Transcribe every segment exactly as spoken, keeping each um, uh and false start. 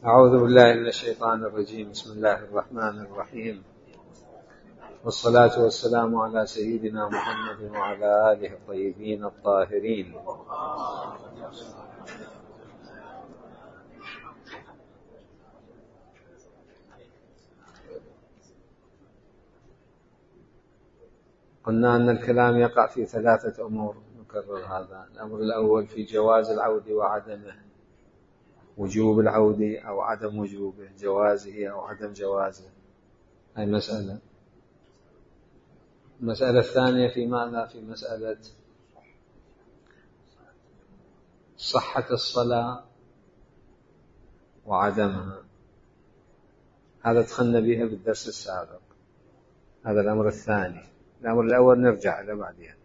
أعوذ بالله من الشيطان الرجيم. بسم الله الرحمن الرحيم، والصلاة والسلام على سيدنا محمد وعلى آله الطيبين الطاهرين. قلنا أن الكلام يقع في ثلاثة أمور، نكرر هذا. الأمر الأول في جواز العود وعدمه، وجوب العود أو عدم وجوبه، جوازه أو عدم جوازه، هاي مسألة. المسألة الثانية في ماذا؟ في مسألة صحة الصلاة وعدمها، هذا دخلنا بها بالدرس السابق. هذا الأمر الثاني. الأمر الأول نرجع إلى بعدها.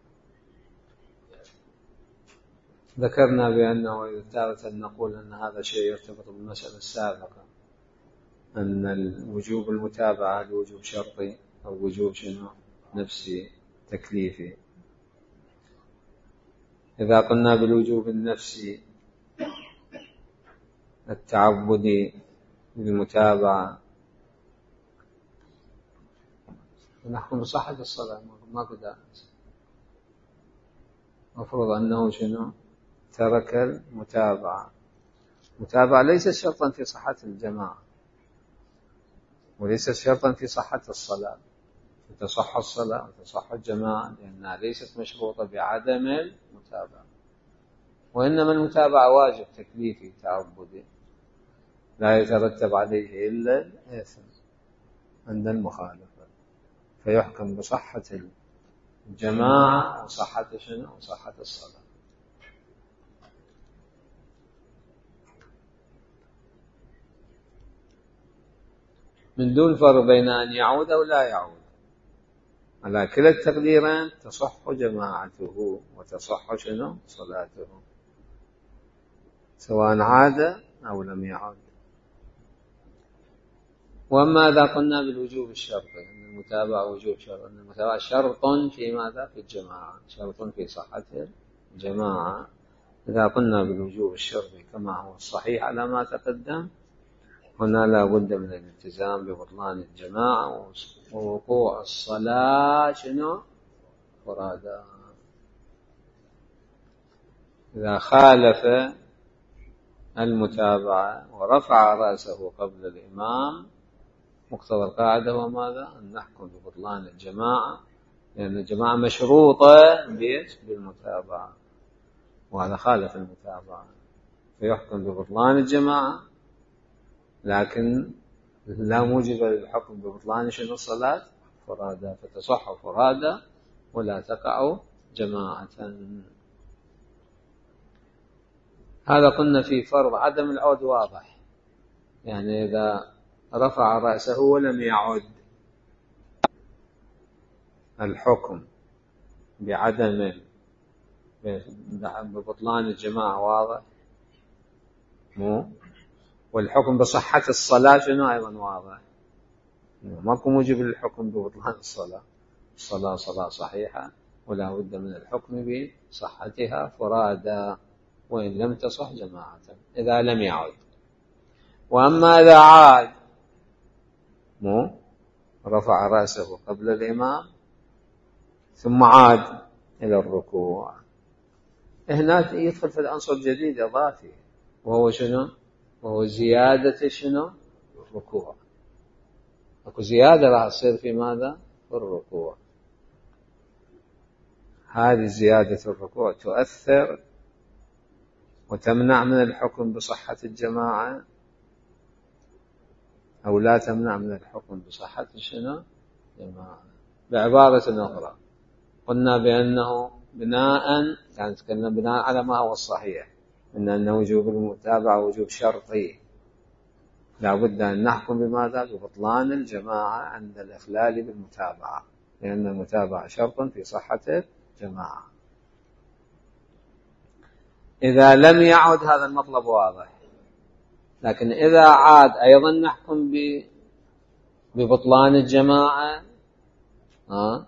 ذكرنا بأنه تارة نقول أن هذا شيء يرتبط بالمسألة السابقة، أن الوجوب المتابعة الوجوب شرطي أو وجوب شنو؟ نفسي تكليفي. إذا قلنا بالوجوب النفسي التعبدي بالمتابعة نحكم بصحة الصلاة، ما قد مفروض أنه شنو؟ ترك المتابعة. المتابعة ليست شرطا في صحة الجماعة، وليست شرطا في صحة الصلاة، تصح الصلاة وتصح الجماعة، لأنها ليست مشروطة بعدم المتابعة، وإنما المتابعة واجب تكليفي تعبدي لا يترتب عليه إلا الإثم عند المخالفة، فيحكم بصحة الجماعة وصحة شنو؟ وصحة الصلاة. من دون فرق بين أن يعود أو لا يعود، على كلا التقديرين تصح جماعته وتصح شنو؟ صلاته، سواء عاد أو لم يعد. وأما إذا قلنا بالوجوب الشرطي، أن المتابعة وجوب شرط، أن المتابعة شرط في ماذا؟ في الجماعة، شرط في صحة الجماعة. إذا قلنا بالوجوب الشرطي كما هو الصحيح على ما تقدم، هنا لا بد من الالتزام ببطلان الجماعة ووقوع الصلاة شنو؟ فرادا. إذا خالف المتابعة ورفع رأسه قبل الإمام، مقتضى القاعدة هو ماذا؟ أن نحكم ببطلان الجماعة، لأن الجماعة مشروطة بالمتابعة، وهذا خالف المتابعة، فيحكم ببطلان الجماعة، لكن لا موجب للحكم ببطلان شنو؟ الصلاة فرادا، فتصح فرادا ولا تقع جماعة. هذا قلنا في فرض عدم العود واضح، يعني إذا رفع رأسه ولم يعد، الحكم بعدم ببطلان الجماعة واضح مو، والحكم بصحة الصلاة شنو أيضا واضح، ماكو موجب للحكم ببطلان الصلاة. الصلاة صلاة صحيحة ولا بد من الحكم بصحتها فرادا وإن لم تصح جماعة إذا لم يعد. وأما إذا عاد مو رفع رأسه قبل الإمام ثم عاد إلى الركوع، هنا يدخل في العنصر الجديد إضافي، وهو شنو؟ وهو زيادة شنو؟ الركوع. أكو زيادة راح تصير في ماذا؟ في الركوع. هذه زيادة الركوع تؤثر وتمنع من الحكم بصحة الجماعة أو لا تمنع من الحكم بصحة شنو؟ جماعة. بعبارة أخرى قلنا بأنه بناء، يعني تكلمنا بناء على ما هو الصحيح، إن أن وجوب المتابعة وجوب شرطي، لا بد أن نحكم بماذا؟ ببطلان الجماعة عند الإخلال بالمتابعة، لأن المتابعة شرط في صحة الجماعة. إذا لم يعد هذا المطلب واضح، لكن إذا عاد أيضا نحكم ببطلان الجماعة، ها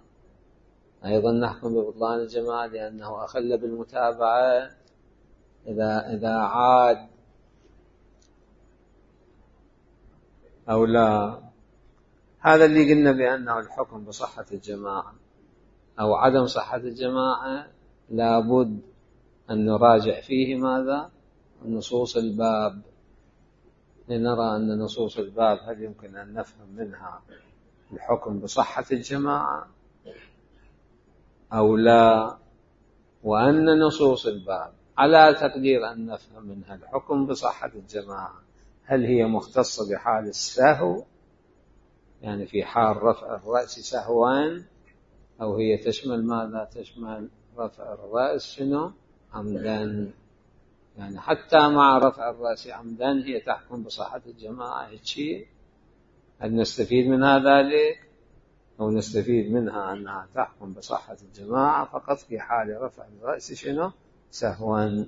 أيضا نحكم ببطلان الجماعة لأنه أخل بالمتابعة. إذا إذا عاد أو لا. هذا اللي قلنا بأنه الحكم بصحة الجماعة أو عدم صحة الجماعة لابد أن نراجع فيه ماذا؟ نصوص الباب، لنرى أن نصوص الباب هل يمكن أن نفهم منها الحكم بصحة الجماعة أو لا، وأن نصوص الباب على تقدير أن نفهم منها الحكم بصحة الجماعة هل هي مختصة بحال السهو، يعني في حال رفع الرأس سهوا، أو هي تشمل ماذا؟ تشمل رفع الرأس شنو؟ عمدا، يعني حتى مع رفع الرأس عمدا هي تحكم بصحة الجماعة. هيك هل نستفيد منها ذلك؟ أو نستفيد منها أنها تحكم بصحة الجماعة فقط في حال رفع الرأس شنو؟ سهوا،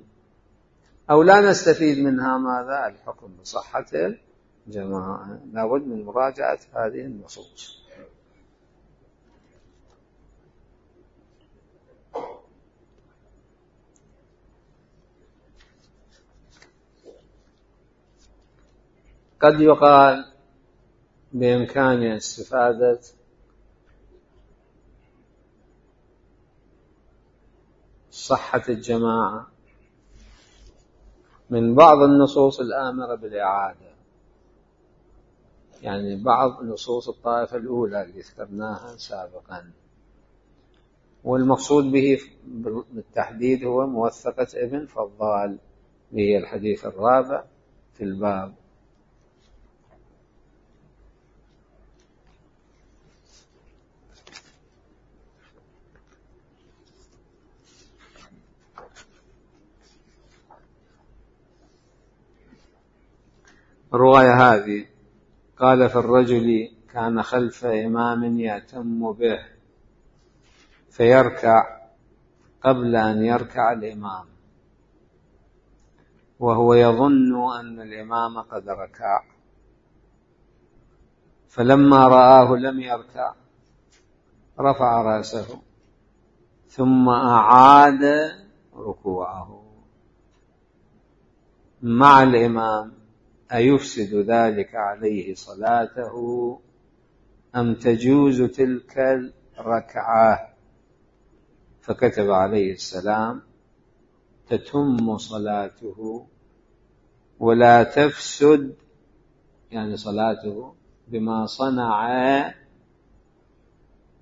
أو لا نستفيد منها ماذا؟ الحكم بصحة الجماعة. لابد من مراجعة هذه النصوص. قد يقال بإمكاننا استفادة صحة الجماعة من بعض النصوص الآمرة بالإعادة، يعني بعض نصوص الطائفة الأولى اللي ذكرناها سابقا، والمقصود به بالتحديد هو موثقة ابن فضال، هي الحديث الرابع في الباب. الرواية هذه قال: في الرجل كان خلف إمام يأتم به فيركع قبل أن يركع الإمام وهو يظن أن الإمام قد ركع، فلما رآه لم يركع رفع رأسه ثم أعاد ركوعه مع الإمام، أيفسد ذلك عليه صلاته أم تجوز تلك الركعة؟ فكتب عليه السلام: تتم صلاته ولا تفسد، يعني صلاته بما صنع،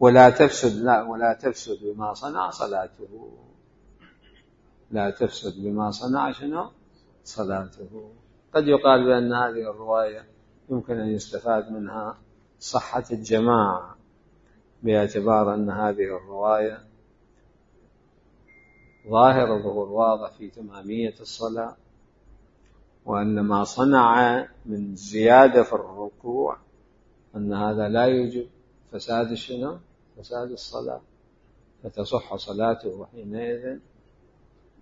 ولا تفسد لا ولا تفسد بما صنع صلاته، لا تفسد بما صنع شنو؟ صلاته. قد يقال بأن هذه الرواية يمكن أن يستفاد منها صحة الجماعة، باعتبار أن هذه الرواية ظاهر ظهور واضح في تمامية الصلاة، وأن ما صنع من زيادة في الركوع أن هذا لا يوجب فساد شنو؟ فساد الصلاة، فتصح صلاته حينئذ.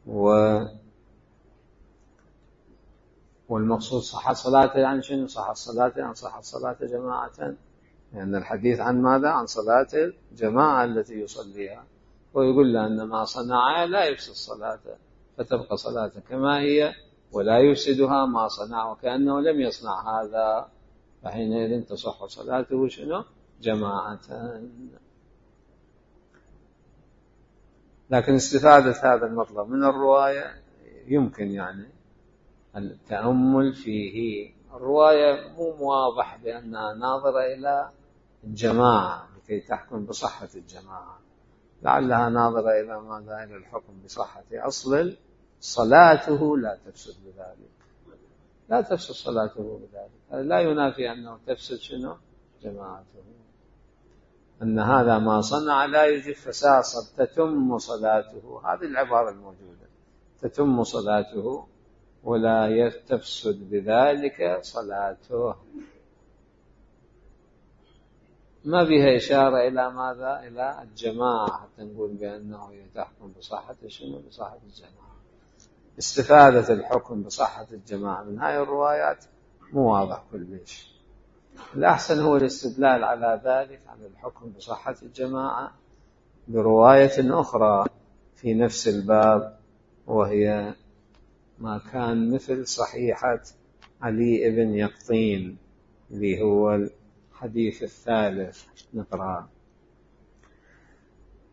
و والمقصود صحة صلاته يعني شنو؟ صحة صلاته يعني صحة صلاة جماعة، لأن يعني الحديث عن ماذا؟ عن صلاة الجماعة التي يصليها، ويقول له أن ما صنع لا يفسد صلاته، فتبقى صلاته كما هي ولا يفسدها ما صنع، وكأنه لم يصنع هذا، فحينئذ تصح صلاته شنو؟ جماعة. لكن استفادة هذا المطلب من الرواية يمكن يعني التأمل فيه. الرواية مو واضح بأنها ناظرة إلى الجماعة لكي تحكم بصحة الجماعة، لعلها ناظرة إلى ماذا؟ إلى الحكم بصحة أصل صلاته لا تفسد بذلك، لا تفسد صلاته بذلك. هذا لا ينافي أنه تفسد شنو؟ جماعته، أن هذا ما صنع لا يجب فساد، تتم صلاته، هذه العبارة الموجودة، تتم صلاته ولا تفسد بذلك صلاته، ما بها إشارة إلى ماذا؟ إلى الجماعة حتى نقول بأنه تحكم بصحة شنو؟ بصحة الجماعة. استفادة الحكم بصحة الجماعة من هاي الروايات مو واضح كلش. الأحسن هو الاستدلال على ذلك، على الحكم بصحة الجماعة، برواية أخرى في نفس الباب، وهي ما كان مثل صحيحة علي بن يقطين اللي هو الحديث الثالث نقرأ.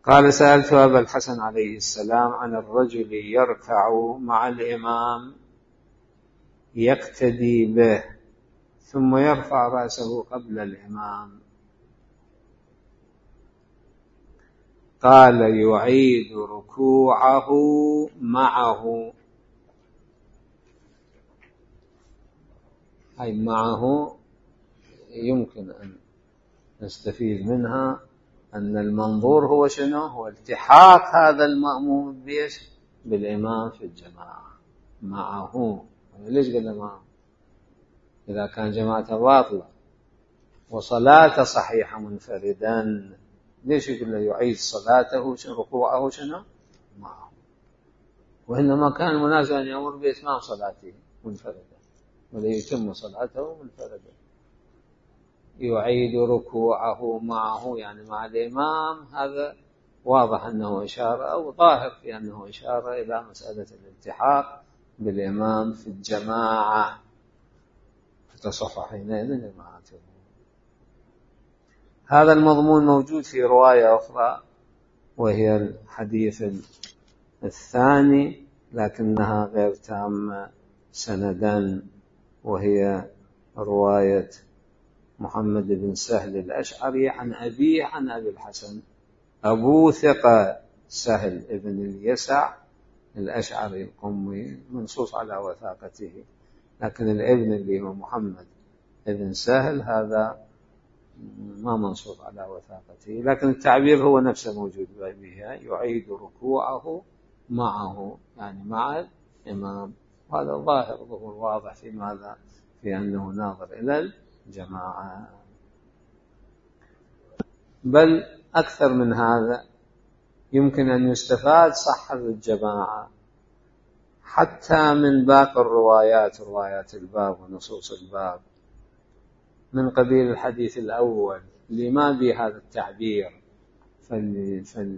قال: سألت أبا الحسن عليه السلام عن الرجل يركع مع الإمام يقتدي به ثم يرفع رأسه قبل الإمام، قال: يعيد ركوعه معه، أي معه يمكن أن نستفيد منها أن المنظور هو شنو؟ هو التحاق هذا المأموم بيش بالإمام في الجماعة معه. ليش قلنا معه؟ إذا كان جماعة باطلة وصلاة صحيحة منفردا، ليش يقول له يعيد صلاته ركوعه شنو؟ معه؟ وإنما كان مناسبا أن يأمر بإتمام صلاته منفردا ولا يتم صلاته منفردا. يعيد ركوعه معه يعني مع الإمام، هذا واضح أنه إشارة أو ظاهر في أنه إشارة إلى مسألة الالتحاق بالإمام في الجماعة، فتصح حينئذ جماعته. هذا المضمون موجود في رواية أخرى وهي الحديث الثاني لكنها غير تامة سندا، وهي رواية محمد بن سهل الأشعري عن أبيه عن أبي الحسن. أبو ثقة سهل ابن اليسع الأشعري القمي منصوص على وثاقته، لكن الابن اللي هو محمد ابن سهل هذا ما منصوص على وثاقته، لكن التعبير هو نفسه موجود بها، يعيد ركوعه معه يعني مع الإمام. هذا ظاهر ظهور واضح في ماذا؟ في أنه ناظر إلى الجماعة. بل أكثر من هذا، يمكن أن يستفاد صحة الجماعة حتى من باقي الروايات، روايات الباب ونصوص الباب، من قبيل الحديث الأول اللي ما بهذا التعبير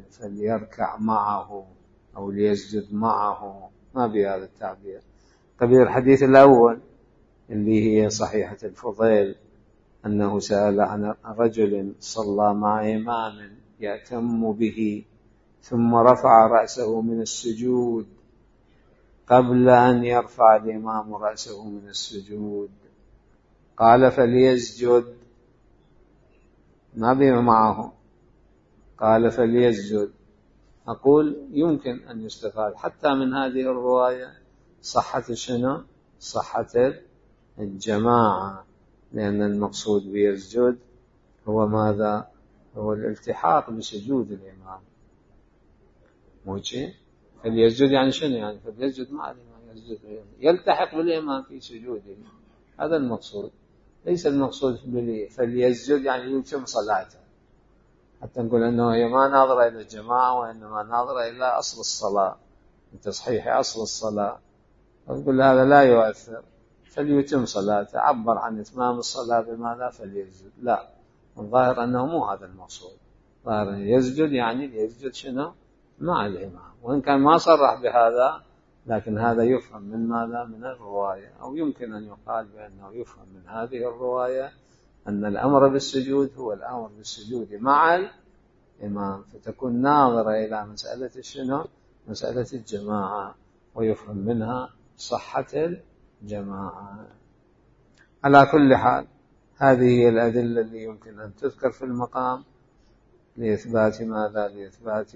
فليركع معه أو ليسجد معه، ما بهذا التعبير. قبيل الحديث الأول اللي هي صحيحة الفضيل أنه سأل عن رجل صلى مع إمام يأتم به ثم رفع رأسه من السجود قبل أن يرفع الإمام رأسه من السجود، قال: فليسجد، ما بما معه، قال: فليسجد. أقول يمكن أن يستفاد حتى من هذه الرواية صحة شنو؟ صحة الجماعة، لأن المقصود بيسجد هو ماذا؟ هو الالتحاق بسجود الإمام. موجه فليسجد يعني شنو؟ يعني فليسجد مع الإمام، يسجد يلتحق بالإمام في سجوده، هذا المقصود. ليس المقصود فليسجد يعني يتم صلاته، حتى نقول أنه هي ما ناظرة إلى الجماعة وإنما ناظرة إلى أصل الصلاة، تصحيح أصل الصلاة. نقول هذا لا يؤثر، فليتم صلاته، عبر عن إتمام الصلاة بماذا؟ فليسجد. لا، الظاهر أنه مو هذا المقصود، ظاهر يسجد يعني يسجد شنو؟ مع الإمام، وإن كان ما صرح بهذا لكن هذا يفهم من ماذا؟ من الرواية. أو يمكن أن يقال بأنه يفهم من هذه الرواية أن الأمر بالسجود هو الأمر بالسجود مع الإمام، فتكون ناظرة إلى مسألة شنو؟ مسألة الجماعة، ويفهم منها صحة الجماعة. على كل حال، هذه هي الأدلة اللي يمكن أن تذكر في المقام لإثبات ماذا؟ لإثبات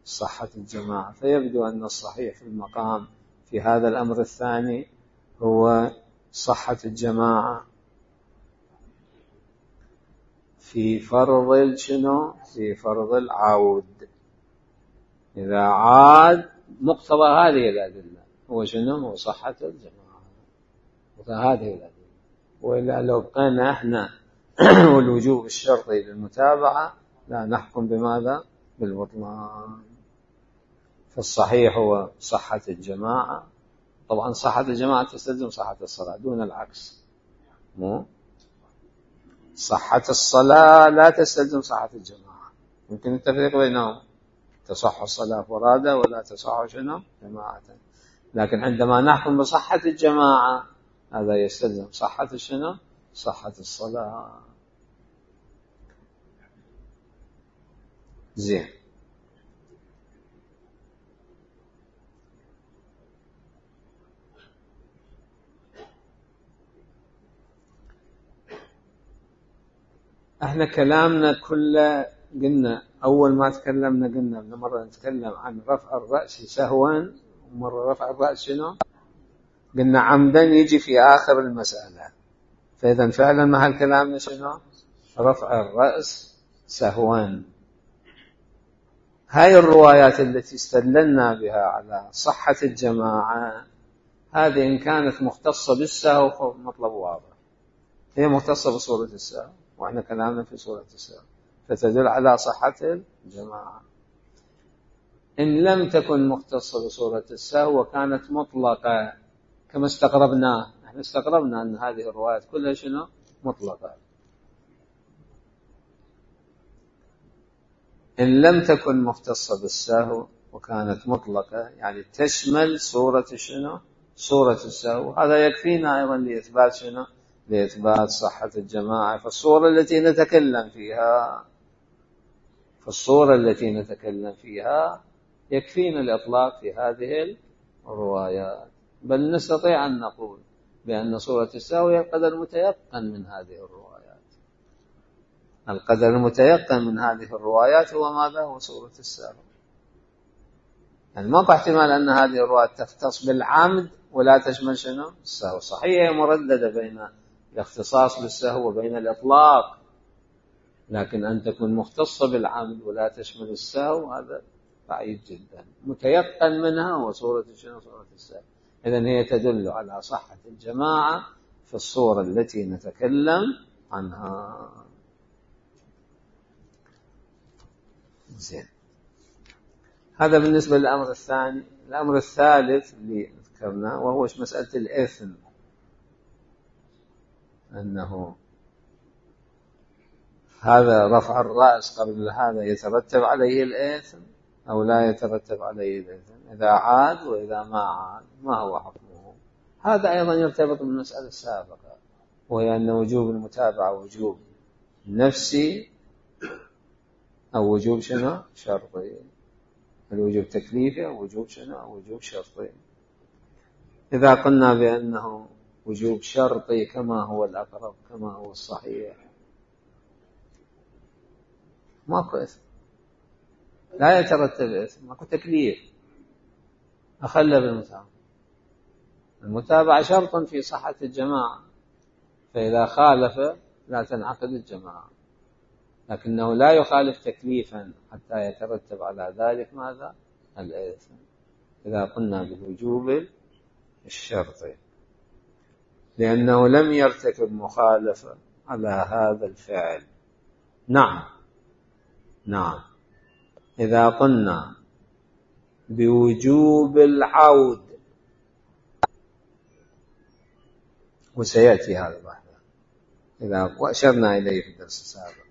صحة الجماعة. فيبدو أن الصحيح في المقام في هذا الأمر الثاني هو صحة الجماعة في فرض شنو؟ في فرض العود. إذا عاد مقتضى هذه الأدلة هو شنو؟ هو صحة الجماعة، وهذه الأدلة. وإلا لو بقينا احنا والوجوب الشرطي للمتابعة لا نحكم بماذا؟ بالبطلان. فالصحيح هو صحة الجماعة. طبعا صحة الجماعة تستلزم صحة الصلاة دون العكس، مو صحة الصلاة لا تستلزم صحة الجماعة، يمكن التفريق بينهم، تصح الصلاة فرادى ولا تصح شنو؟ جماعة. لكن عندما نحكم بصحة الجماعة هذا يستلزم صحة شنو؟ صحة الصلاة. زين. احنا كلامنا كله قلنا أول ما تكلمنا قلنا من مرة نتكلم عن رفع الرأس سهوا، ومرة رفع الرأس شنو؟ قلنا عمدا يجي في آخر المسألة. فإذا فعلا محل كلامنا شنو؟ رفع الرأس سهوا. هاي الروايات التي استدللنا بها على صحة الجماعة هذه إن كانت مختصة بالسهو فمطلب واضح، هي مختصة بصورة السهو وإحنا كلامنا في صورة السهو فتدل على صحة الجماعة. إن لم تكن مختصة بصورة السهو وكانت مطلقة كما استغربناه، احنا استغربنا أن هذه الروايات كلها شنو؟ مطلقة. إن لم تكن مختصة بالسهو وكانت مطلقة يعني تشمل صورة شنو؟ صورة السهو، هذا يكفينا أيضا لإثبات شنو؟ لإثبات صحة الجماعة. فالصورة التي نتكلم فيها فالصورة التي نتكلم فيها يكفينا الإطلاق في هذه الروايات، بل نستطيع أن نقول بأن صورة السهو هي القدر المتيقن من هذه الروايات. القدر المتيقن من هذه الروايات هو ماذا؟ هو صورة السهو. يعني ما في احتمال أن هذه الروايات تختص بالعمد ولا تشمل شنو؟ السهو. صحيح هي مرددة بين الاختصاص بالسهو وبين الإطلاق، لكن أن تكون مختصة بالعمد ولا تشمل السهو هذا بعيد جدا. متيقن منها هو صورة شنو؟ صورة السهو. إذن هي تدل على صحة الجماعة في الصورة التي نتكلم عنها. زين. هذا بالنسبة للأمر الثاني. الأمر الثالث اللي ذكرناه وهو مسألة الإثم، أنه هذا رفع الرأس قبل هذا يترتب عليه الإثم أو لا يترتب عليه الإثم، إذا عاد وإذا ما عاد ما هو حكمه. هذا أيضا يرتبط بالمسألة السابقة، وهي أن وجوب المتابعة وجوب نفسي أو وجوب شنو؟ شرطي. الوجوب تكليفي أو وجوب شنو؟ أو وجوب شرطي. إذا قلنا بأنه وجوب شرطي كما هو الأقرب كما هو الصحيح ماكو إثم، لا يترتب إثم، ماكو تكليف. أخلى بالمتابعة. المتابعة شرط في صحة الجماعة، فإذا خالف لا تنعقد الجماعة، لكنه لا يخالف تكليفا حتى يترتب على ذلك ماذا؟ الإثم. إذا قلنا بالوجوب الشرطي، لأنه لم يرتكب مخالفة على هذا الفعل. نعم نعم. إذا قلنا بوجوب العود، وسيأتي هذا بعد إذا وأشرنا إليه في الدرس السابق،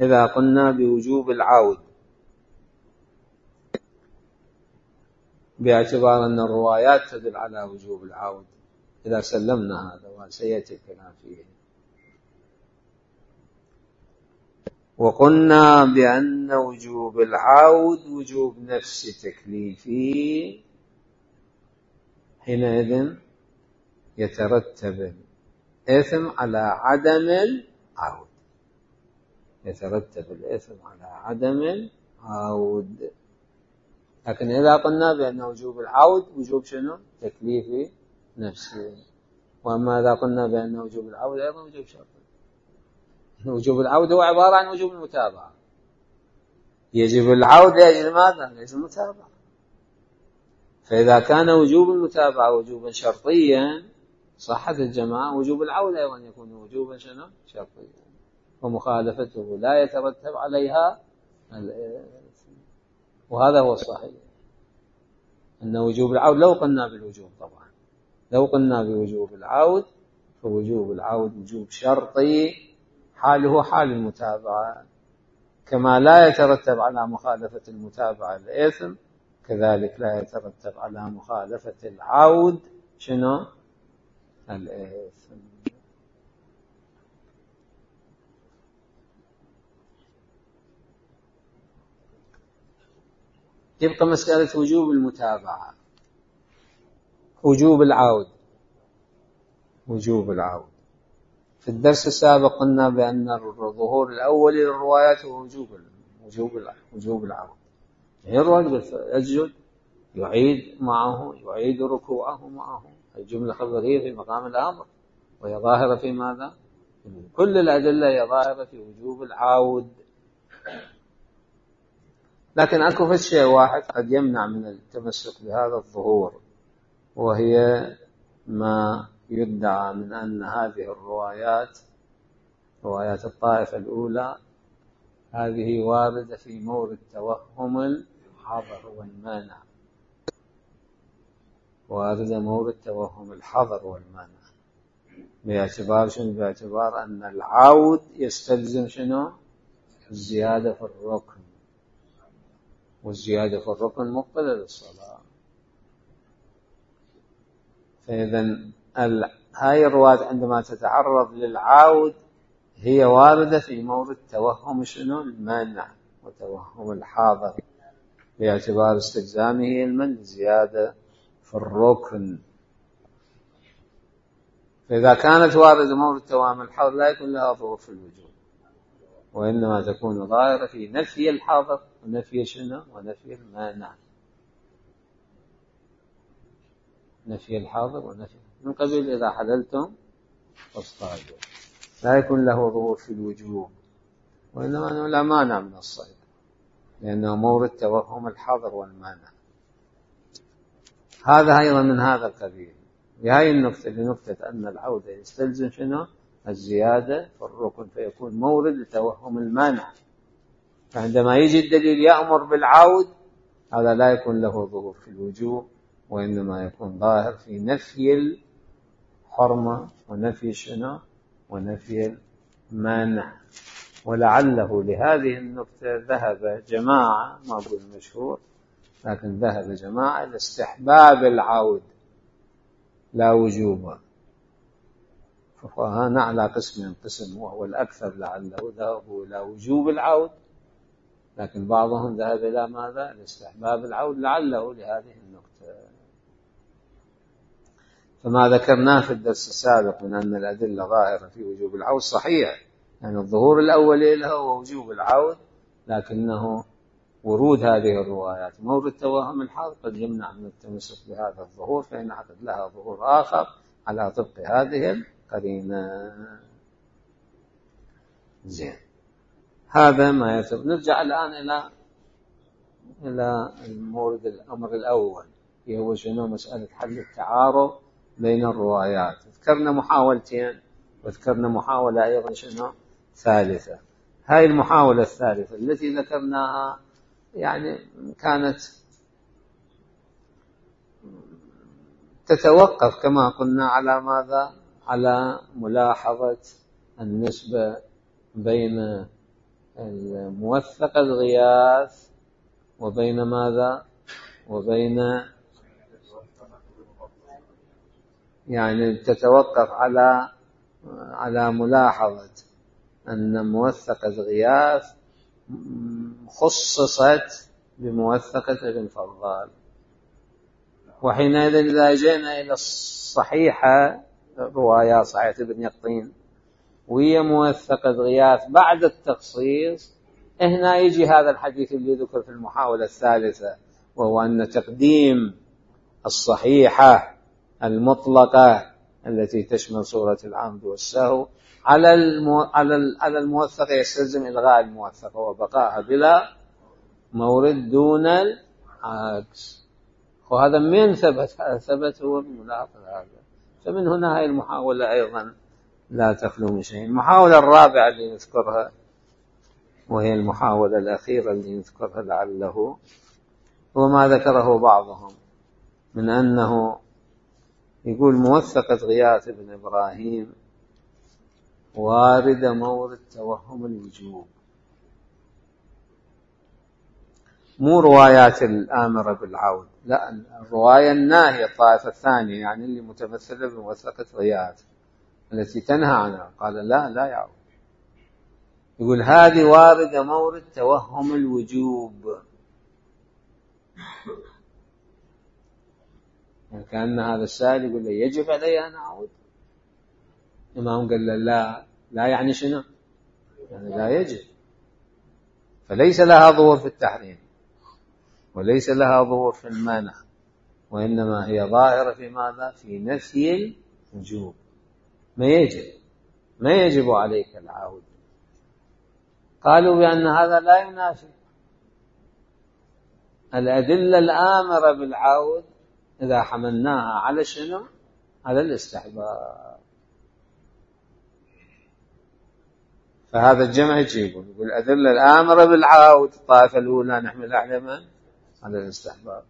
إذا قلنا بوجوب العود باعتبار أن الروايات تدل على وجوب العود، إذا سلمنا هذا وسيأتي الكلام فيه، وقلنا بأن وجوب العود وجوب نفس تكليفي، حينئذ يترتب الإثم على عدم العود، يترتب الإثم على عدم العود. لكن إذا قلنا بأن وجوب العود وجوب شنو؟ تكليفي نفسي. وأما إذا قلنا بأن وجوب العود أيضا وجوب شرطي. وجوب العود هو عبارة عن وجوب المتابعة، يجب العود لأجل ماذا؟ لأجل المتابعة. فإذا كان وجوب المتابعة وجوبا شرطيا صحة الجماعة، وجوب العود أيضا يكون وجوبا شنو؟ شرطيا، ومخالفته لا يترتب عليها الإثم. وهذا هو الصحيح، أن وجوب العود لو قلنا بالوجوب، طبعا لو قلنا بوجوب العود فوجوب العود وجوب شرطي حاله حال المتابعة، كما لا يترتب على مخالفة المتابعة الإثم، كذلك لا يترتب على مخالفة العود شنو؟ الإثم. يبقى مسألة وجوب المتابعة، وجوب العود. وجوب العود في الدرس السابق قلنا بأن الظهور الأول للروايات هو وجوب وجوب وجوب العود. الرجل يسجد يعيد معه، يعيد ركوعه معه، الجملة خبرية في مقام الأمر، وهي ظاهرة في ماذا؟ كل الأدلة هي ظاهرة في وجوب العود. لكن أكو في شيء واحد قد يمنع من التمسك بهذا الظهور، وهي ما يدعى من أن هذه الروايات، روايات الطائفة الأولى، هذه واردة في مورد توهم الحظر والمانع، واردة مورد توهم الحظر والمانع، باعتبار شنو؟ باعتبار أن العود يستلزم شنو؟ الزيادة في الركن، والزيادة في الركن مقبلة للصلاة. فإذا هاي الروايات عندما تتعرض للعود هي واردة في مورد توهم شنو؟ المانع وتوهم الحاضر، باعتبار استلزامه المن زيادة في الركن. فإذا كانت واردة مورد توهم الحاضر لا يكون لها ظهور في الوجوب، وإنما تكون ظاهرة في نفي الحاضر ونفي شنو؟ ونفي المانع. نفي الحاضر ونفي من قبيل إذا حللتم فاصطادوا، لا يكون له ظهور في الوجوب، وإنما أنه لا مانع من الصيد، لأنه مورد توهم الحظر والمانع. هذا أيضا من هذا القبيل. بهذه النقطة، لنقطة أن العودة يستلزم شنو؟ الزيادة في الركن، فيكون مورد لتوهم المانع. فعندما يجي الدليل يأمر بالعود، هذا لا يكون له ظهور في الوجوب، وإنما يكون ظاهر في نفي الحرمة ونفي شنو؟ ونفي المانع. ولعله لهذه النقطة ذهب جماعة، ما أقول مشهور، لكن ذهب جماعة لاستحباب العود لا وجوبا. فهنا على قسم قسم، وهو الأكثر لعله ذهبوا إلى وجوب العود، لكن بعضهم ذهب إلى ماذا؟ لاستحباب العود، لعله لهذه النقطة. فما ذكرناه في الدرس السابق من أن الأدلة ظاهرة في وجوب العود صحيح، يعني الظهور الأول له هو وجوب العود، لكنه ورود هذه الروايات مورد توهم الحظر قد يمنع من التمسك بهذا الظهور، فينعقد لها ظهور آخر على طبق هذه القرينة. زين، هذا ما يتبقى. نرجع الآن إلى إلى المورد الأمر الأول، هو شنو؟ مسألة حل التعارض بين الروايات. ذكرنا محاولتين، وذكرنا محاولة أيضا شنو؟ ثالثة. هاي المحاولة الثالثة التي ذكرناها يعني كانت تتوقف كما قلنا على ماذا؟ على ملاحظة النسبة بين الموثق الغياث وبين ماذا؟ وبين يعني تتوقف على على ملاحظة أن موثقة الغياث خصصت بموثقة ابن فضال. وحينئذ إذا جئنا إلى الصحيحة، رواية صحيحة ابن يقطين وهي موثقة غياث بعد التخصيص، هنا يجي هذا الحديث اللي ذكر في المحاولة الثالثة، وهو أن تقديم الصحيحة المطلقة التي تشمل صورة العمد والسهو على المو... على على الموثقة يستلزم إلغاء الموثقة وبقائها بلا مورد دون العكس. وهذا من ثبت؟ ثبت هو بملاحظة هذا. فمن هنا هاي المحاولة أيضا لا تخلو من شيء. المحاولة الرابعة اللي نذكرها، وهي المحاولة الأخيرة اللي نذكرها لعله هو ما ذكره بعضهم من أنه يقول موثقة غياث بن إبراهيم وارد مورد توهم الوجوب، مو روايات الآمرة بالعود، لا، الرواية الناهية الطائفة الثانية، يعني اللي متمثلة بموثقة غياث التي تنهى عنها. قال لا لا يعود، يقول هذه واردة مورد توهم الوجوب. يعني كأن هذا السائل يقول له يجب علي أن أعود. الإمام قال له لا. لا يعني شنو؟ يعني لا يجب. فليس لها ظهور في التحريم وليس لها ظهور في المنع، وإنما هي ظاهرة في ماذا؟ في نفي الوجوب. ما يجب ما يجب عليك العودة. قالوا بأن هذا لا ينافي الأدلة الآمرة بالعود إذا حملناها على شنو؟ على الاستحباب. فهذا الجمع يجيبون يقول الأدلة الآمرة بالعود الطائفة الأولى نحملها على من؟ على الاستحباب،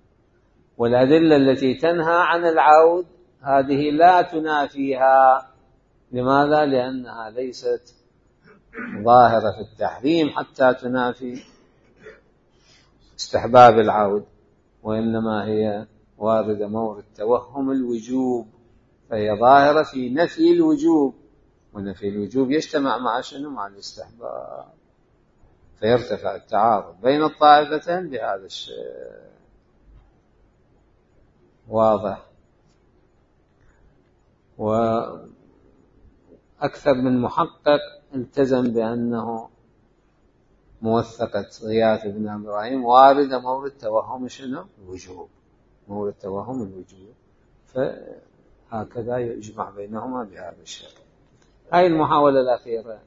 والأدلة التي تنهى عن العود هذه لا تنافيها. لماذا؟ لأنها ليست ظاهرة في التحريم حتى تنافي استحباب العود، وإنما هي واردة مورد توهم الوجوب، فهي ظاهرة في نفي الوجوب، ونفي الوجوب يجتمع مع شنو؟ مع الاستحباب، فيرتفع التعارض بين الطائفتين بهذا الشيء. واضح. وأكثر من محقق التزم بأنه موثقة غياث بن إبراهيم واردة مورد توهم شنو؟ الوجوب، مورد توهم الوجوب، فهكذا يجمع بينهما بهذا الشكل. هاي المحاولة الأخيرة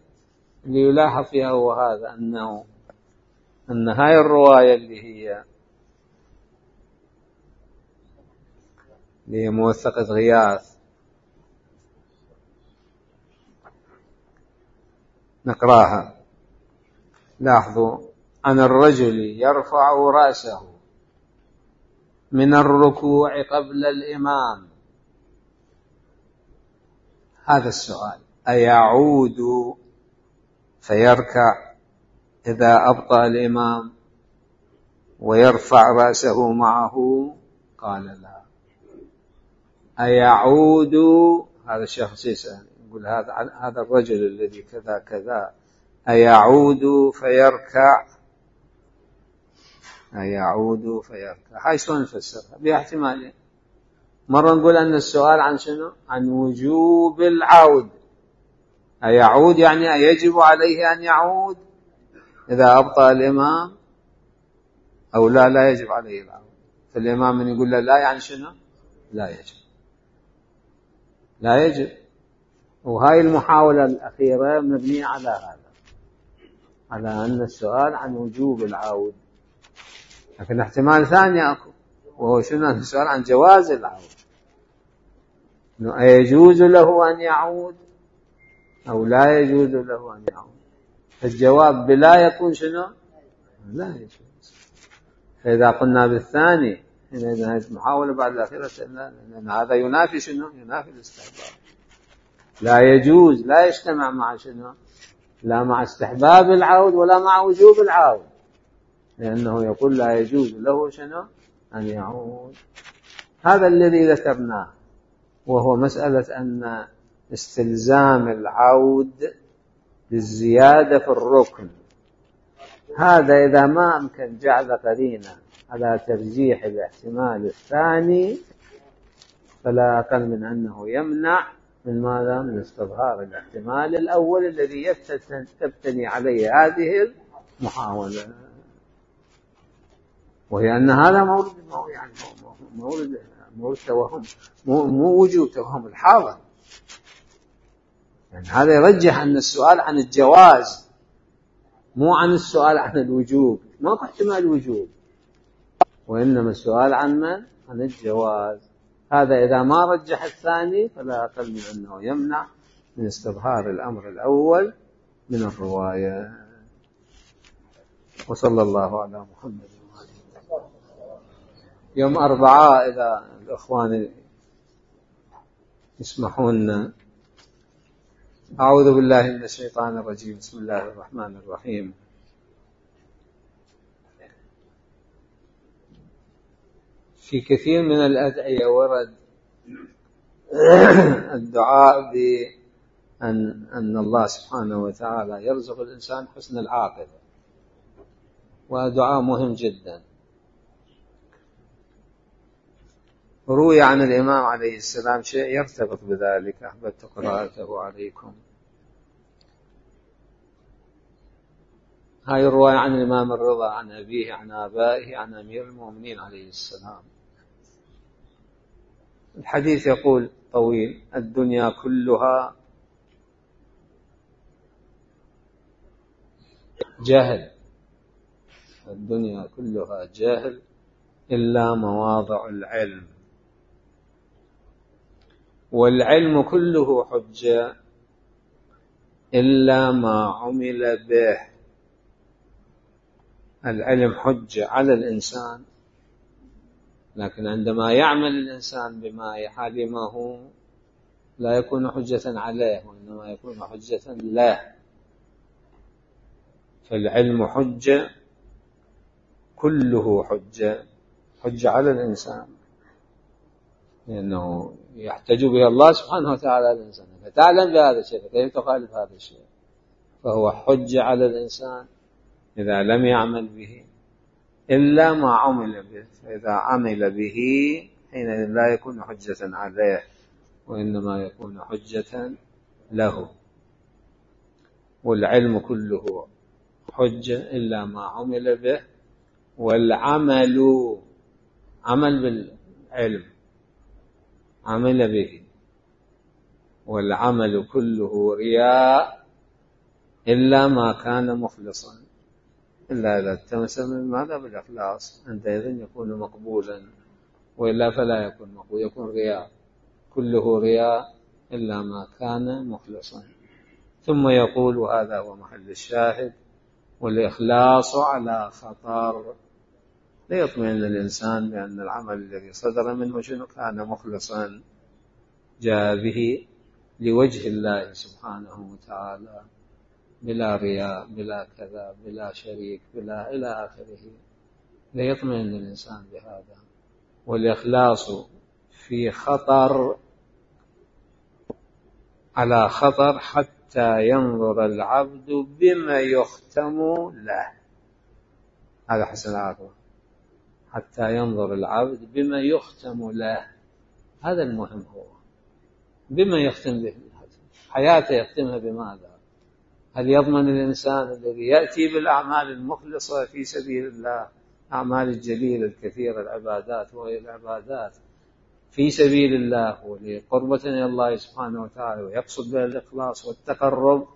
اللي يلاحظ فيها هو هذا، أنه أن هاي الرواية اللي هي اللي هي موثقة غياث نقراها. لاحظوا: عن الرجل يرفع رأسه من الركوع قبل الإمام. هذا السؤال: أيعود فيركع إذا أبطأ الإمام ويرفع رأسه معه؟ قال لا. أيعود، هذا الشخص يسأل يقول هذا هذا الرجل الذي كذا كذا أيعود فيركع؟ أيعود فيركع، هاي شلون نفسرها؟ بها احتمالين. مرة نقول أن السؤال عن شنو؟ عن وجوب العود. أيعود يعني أيجب عليه أن يعود إذا أبطأ الإمام، أو لا لا يجب عليه العود. فالإمام من يقول له لا يعني شنو؟ لا يجب، لا يجب. وهاي المحاولة الأخيرة مبنية على هذا، على أن السؤال عن وجوب العود. لكن احتمال ثاني أكو، وهو شنو؟ السؤال عن جواز العود، إنه أيجوز له أن يعود أو لا يجوز له أن يعود. الجواب بلا يكون شنو؟ لا يجوز. فإذا قلنا بالثاني إذا هذه المحاولة بعد الأخيرة، لأن هذا ينافي شنو؟ ينافي الاستحباب. لا يجوز لا يجتمع مع شنو؟ لا مع استحباب العود ولا مع وجوب العود، لأنه يقول لا يجوز له شنو؟ أن يعود. هذا الذي ذكرناه، وهو مسألة أن استلزام العود للزيادة في الركن، هذا إذا ما أمكن جعل قرينة على ترجيح الاحتمال الثاني فلا أقل من أنه يمنع من ماذا؟ من استظهار الاحتمال الأول الذي تبتني عليه هذه المحاولة، وهي أن هذا مورد يعني مورد مورد توهم، مو وجوب توهم الحاضر. يعني هذا يرجح أن السؤال عن الجواز مو عن السؤال عن الوجوب، ما في احتمال وجوب، وإنما السؤال عن من؟ عن الجواز. هذا إذا ما رجح الثاني فلا أقل من أنه يمنع من استظهار الأمر الأول من الرواية. وصلى الله على محمد. يوم أربعاء إذا الأخوان يسمحون. أعوذ بالله من الشيطان الرجيم. بسم الله الرحمن الرحيم. في كثير من الأدعية ورد الدعاء بأن أن الله سبحانه وتعالى يرزق الإنسان حسن العاقبة، ودعاء مهم جدا. روي عن الإمام عليه السلام شيء يرتبط بذلك، أحببت قراءته عليكم. هاي الرواية عن الإمام الرضا عن أبيه عن آبائه عن أمير المؤمنين عليه السلام. الحديث يقول طويل: الدنيا كلها جهل، الدنيا كلها جهل إلا مواضع العلم، والعلم كله حجة إلا ما عمل به. العلم حجة على الإنسان، لكن عندما يعمل الإنسان بما علمه لا يكون حجة عليه، وإنما يكون حجة له. فالعلم حجة، كله حجة، حجة على الإنسان، لأنه يحتج به الله سبحانه وتعالى على الإنسان. فتعلم بهذا الشيء كيف تخالف هذا الشيء؟ فهو حجة على الإنسان إذا لم يعمل به إلا ما عمل به. فإذا عمل به حينئذ لا يكون حجة عليه، وإنما يكون حجة له. والعلم كله حجة إلا ما عمل به، والعمل عمل بالعلم عمل به، والعمل كله رياء إلا ما كان مخلصا، إلا إذا التمس من ماذا؟ بالإخلاص، عندئذ يكون مقبولا، وإلا فلا يكون مقبول، يكون رياء، كله رياء إلا ما كان مخلصا. ثم يقول، وهذا هو محل الشاهد: والإخلاص على خطر. ليطمئن الإنسان بأن العمل الذي صدر منه شنو؟ كان مخلصا، جاء به لوجه الله سبحانه وتعالى، بلا رياء، بلا كذا، بلا شريك، بلا إلى آخره. ليطمئن الإنسان بهذا. والإخلاص في خطر، على خطر، حتى ينظر العبد بما يختم له. هذا حسن العاقبة، حتى ينظر العبد بما يختم له. هذا المهم، هو بما يختم به حياته، يختمها بماذا؟ هل يضمن الإنسان الذي يأتي بالأعمال المخلصة في سبيل الله، أعمال الجليلة الكثيرة، العبادات وغير العبادات في سبيل الله ولقربة إلى الله سبحانه وتعالى، ويقصد بها الإخلاص والتقرب،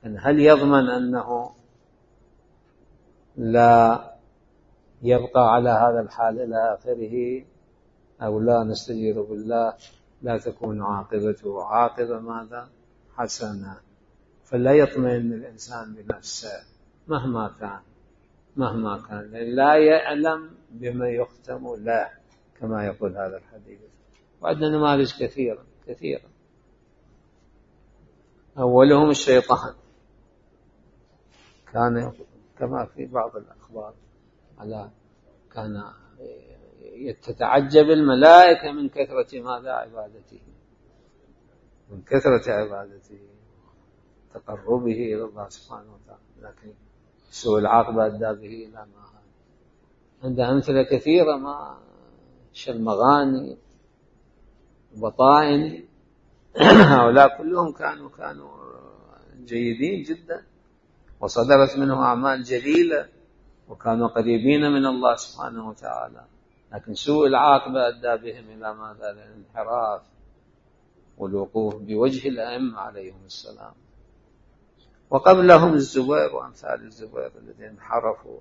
أن هل يضمن أنه لا يبقى على هذا الحال إلى آخره، أو لا؟ نستجير بالله لا تكون عاقبته عاقبة ماذا؟ حسنة. فلا يطمئن الإنسان بنفسه مهما كان، مهما كان، لا يعلم بما يختم له، كما يقول هذا الحديث. وعندنا نماذج كثيرة كثيرة. أولهم الشيطان، كان كما في بعض الأخبار على كان تتعجب الملائكة من كثرة ماذا؟ عبادته، من كثرة عبادته، تقربه إلى الله سبحانه وتعالى، لكن سوء العاقبة أدى به إلى ما هذا. عنده أمثلة كثيرة، ما شالمغاني، بطائن، هؤلاء كلهم كانوا كانوا جيدين جدا، وصدرت منهم أعمال جليلة، وكانوا قريبين من الله سبحانه وتعالى، لكن سوء العاقبة أدى بهم إلى ماذا؟ الانحراف والوقوف بوجه الأئمة عليهم السلام. وقبلهم الزبير وأمثال الزبير الذين انحرفوا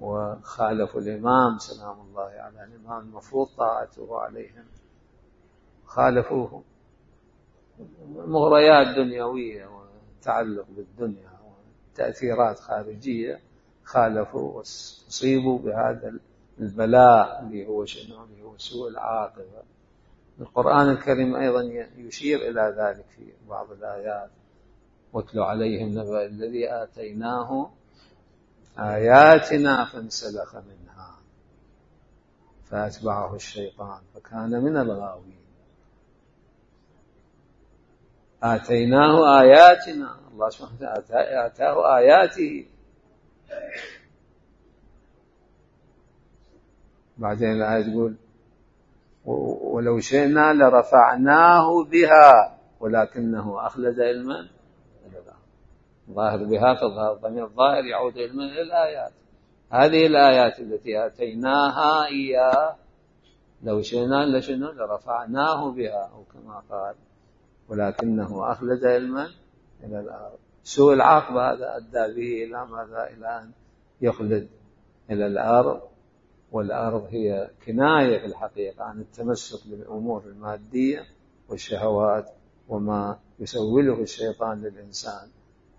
وخالفوا الإمام سلام الله على الإمام المفروض طاعته عليهم، خالفوه. مغريات دنيوية وتعلق بالدنيا وتأثيرات خارجية، خالفوا وصيبوا بهذا البلاء اللي هو شنو؟ اللي هو سوء العاقبة. القرآن الكريم أيضا يشير إلى ذلك في بعض الآيات: واتل عليهم نبأ الذي آتيناه آياتنا فانسلخ منها فأتبعه الشيطان فكان من الغاوين. آتيناه آياتنا، الله سبحانه وتعالى آتاه آياته. بعدين الآية تقول: ولو شئنا لرفعناه بها ولكنه أخلد علما إلى الأرض. ظاهر بها فالظاهر ضمير الظاهر يعود علما إلى الآيات. هذه الآيات التي آتيناها إياه لو شئنا لشنو لرفعناه بها أو كما قال ولكنه أخلد علما إلى الأرض. سوء العاقبة هذا أدى به إلى ماذا؟ إلى أن يخلد إلى الأرض. والأرض هي كناية في الحقيقة عن التمسك بالأمور المادية والشهوات وما يسوله الشيطان للإنسان.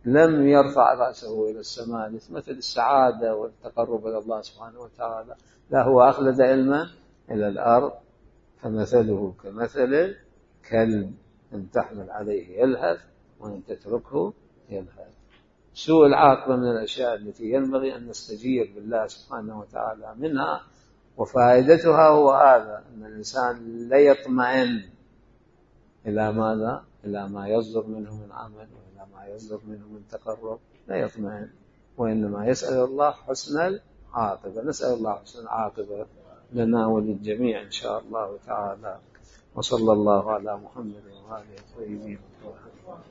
لم يرفع رأسه إلى السماء مثل السعادة والتقرب إلى الله سبحانه وتعالى، لا، هو أخلد علما إلى الأرض. فمثله كمثل كلب إن تحمل عليه يلهث وإن تتركه يلهث. سوء العاقبة من الأشياء التي ينبغي أن نستجير بالله سبحانه وتعالى منها، وفائدتها هو هذا، أن الإنسان لا يطمئن إلى ماذا؟ إلى ما يصدر منه من عمل وإلى ما يصدر منه من تقرب، لا يطمئن، وإنما يسأل الله حسن العاقبة. نسأل الله حسن العاقبة لنا وللجميع إن شاء الله تعالى. وصلى الله على محمد وآله الطيبين الطاهرين.